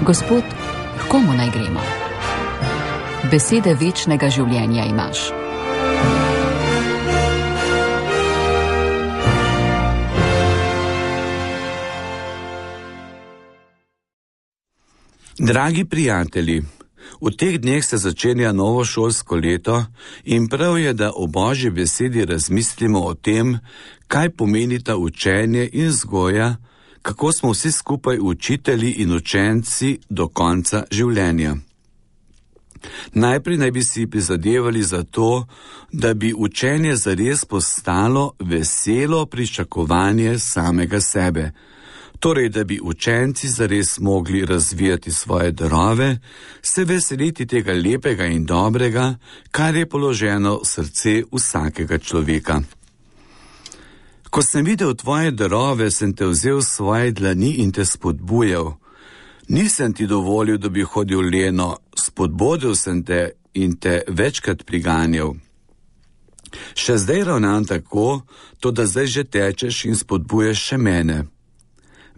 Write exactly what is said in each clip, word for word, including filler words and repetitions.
Gospod, k komu naj gremo? Besede večnega življenja imaš. Dragi prijatelji, v teh dneh se začenja novo šolsko leto in prav je, da o Božji besedi razmislimo o tem, kaj pomenita učenje in vzgoja, kako smo vsi skupaj učitelji in učenci do konca življenja. Najprej naj bi si prizadevali za to, da bi učenje zares postalo veselo pričakovanje samega sebe. Torej, da bi učenci zares mogli razvijati svoje darove, se veseliti tega lepega in dobrega, kar je položeno v srce vsakega človeka. Ko sem videl tvoje darove, sem te vzel v svoje dlani in te spodbujal. Nisem ti dovolil, da bi hodil leno, spodbudil sem te in te večkrat priganjal. Še zdaj ravnam tako, to da zdaj že tečeš in spodbuješ še mene.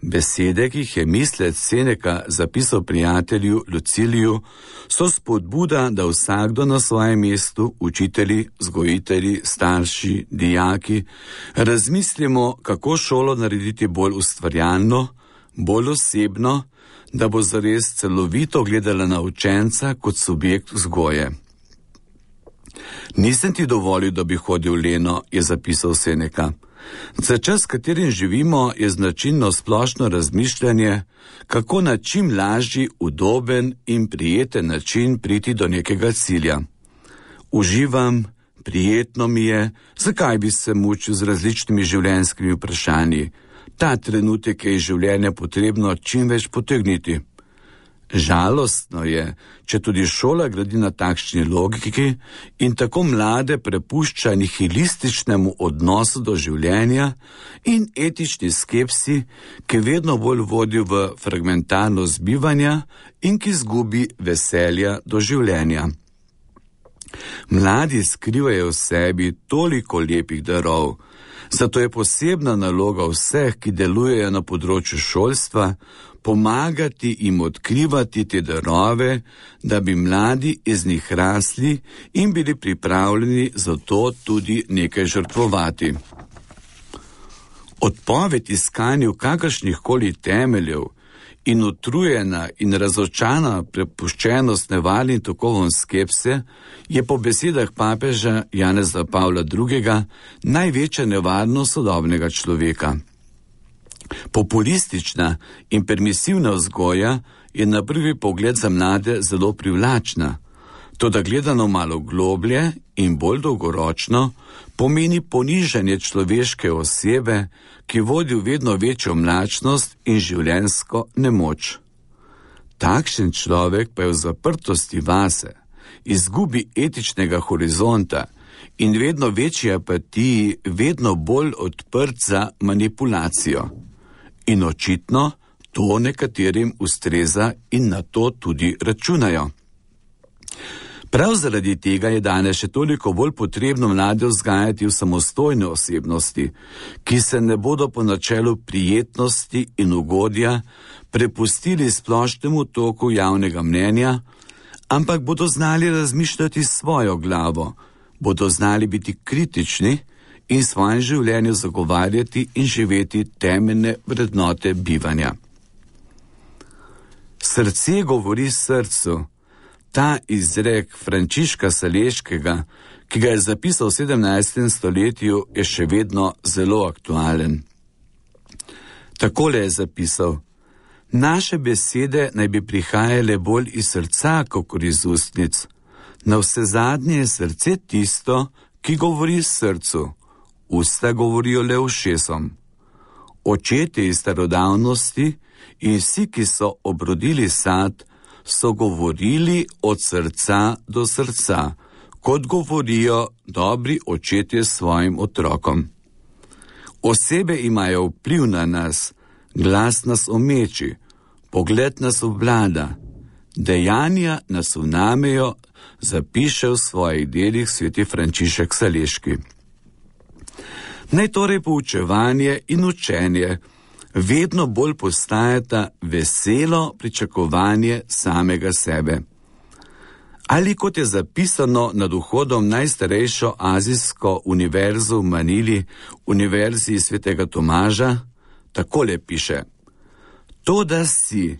Besede, ki jih je mislec Seneka zapisal prijatelju Luciliju, so spodbuda, da vsakdo na svojem mestu, učitelji, vzgojitelji, starši, dijaki, razmislimo, kako šolo narediti bolj ustvarjalno, bolj osebno, da bo zares celovito gledala na učenca kot subjekt vzgoje. Nisem ti dovolil, da bi hodil leno, je zapisal Seneka. Za čas, katerim živimo, je značilno splošno razmišljanje, kako na čim lažji, udoben in prijeten način priti do nekega cilja. Uživam, prijetno mi je, zakaj bi se mučil z različnimi življenjskimi vprašanji. Ta trenutek je iz življenja potrebno čim več potegniti. Žalostno je, če tudi šola gradi na takšni logiki in tako mlade prepušča nihilističnemu odnosu do življenja in etični skepsi, ki vedno bolj vodi v fragmentarnost bivanja in ki izgubi veselja do življenja. Mladi skrivajo v sebi toliko lepih darov, zato je posebna naloga vseh, ki delujejo na področju šolstva, pomagati jim odkrivati te darove, da bi mladi iz njih rasli in bili pripravljeni za to tudi nekaj žrtvovati. Odpoved iskanju kakršnih koli temeljev in utrujena in razočana prepuščenost nevarnim tokovom skepse je po besedah papeža Janeza Pavla drugega največja nevarnost sodobnega človeka. Populistična in permisivna vzgoja je na prvi pogled za mlade zelo privlačna, toda gledano malo globlje in bolj dolgoročno pomeni ponižanje človeške osebe, ki vodi v vedno večjo mlačnost in življenjsko nemoč. Takšen človek pa je v zaprtosti vase, izgubi etičnega horizonta in vedno večji apatiji vedno bolj odprt za manipulacijo. In očitno to nekaterim ustreza in na to tudi računajo. Prav zaradi tega je danes še toliko bolj potrebno mlade vzgajati v samostojne osebnosti, ki se ne bodo po načelu prijetnosti in ugodja prepustili splošnemu toku javnega mnenja, ampak bodo znali razmišljati svojo glavo, bodo znali biti kritični in svojem življenju zagovarjati in živeti temeljne vrednote bivanja. Srce govori srcu. Ta izrek Frančiška Saleškega, ki ga je zapisal v sedemnajstem stoletju, je še vedno zelo aktualen. Takole je zapisal: naše besede naj bi prihajale bolj iz srca, kot iz ustnic. Navsezadnje je srce tisto, ki govori srcu. Usta govorijo le ušesom. Očetje iz starodavnosti in vsi, ki so obrodili sad, so govorili od srca do srca, kot govorijo dobri očetje svojim otrokom. Osebe imajo vpliv na nas, glas nas omeči, pogled nas obvlada, dejanja nas vnamejo, zapiše v svojih delih sveti Frančišek Saleški. Naj torej poučevanje in učenje vedno bolj postajata veselo pričakovanje samega sebe. Ali kot je zapisano nad vhodom najstarejšo azijsko univerzo v Manili, Univerzi svetega Tomaža, takole piše: to, da si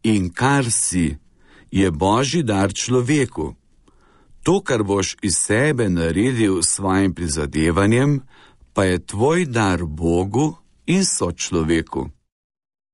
in kar si, je božji dar človeku. To, kar boš iz sebe naredil s svojim prizadevanjem, pa je tvoj dar Bogu in sočloveku.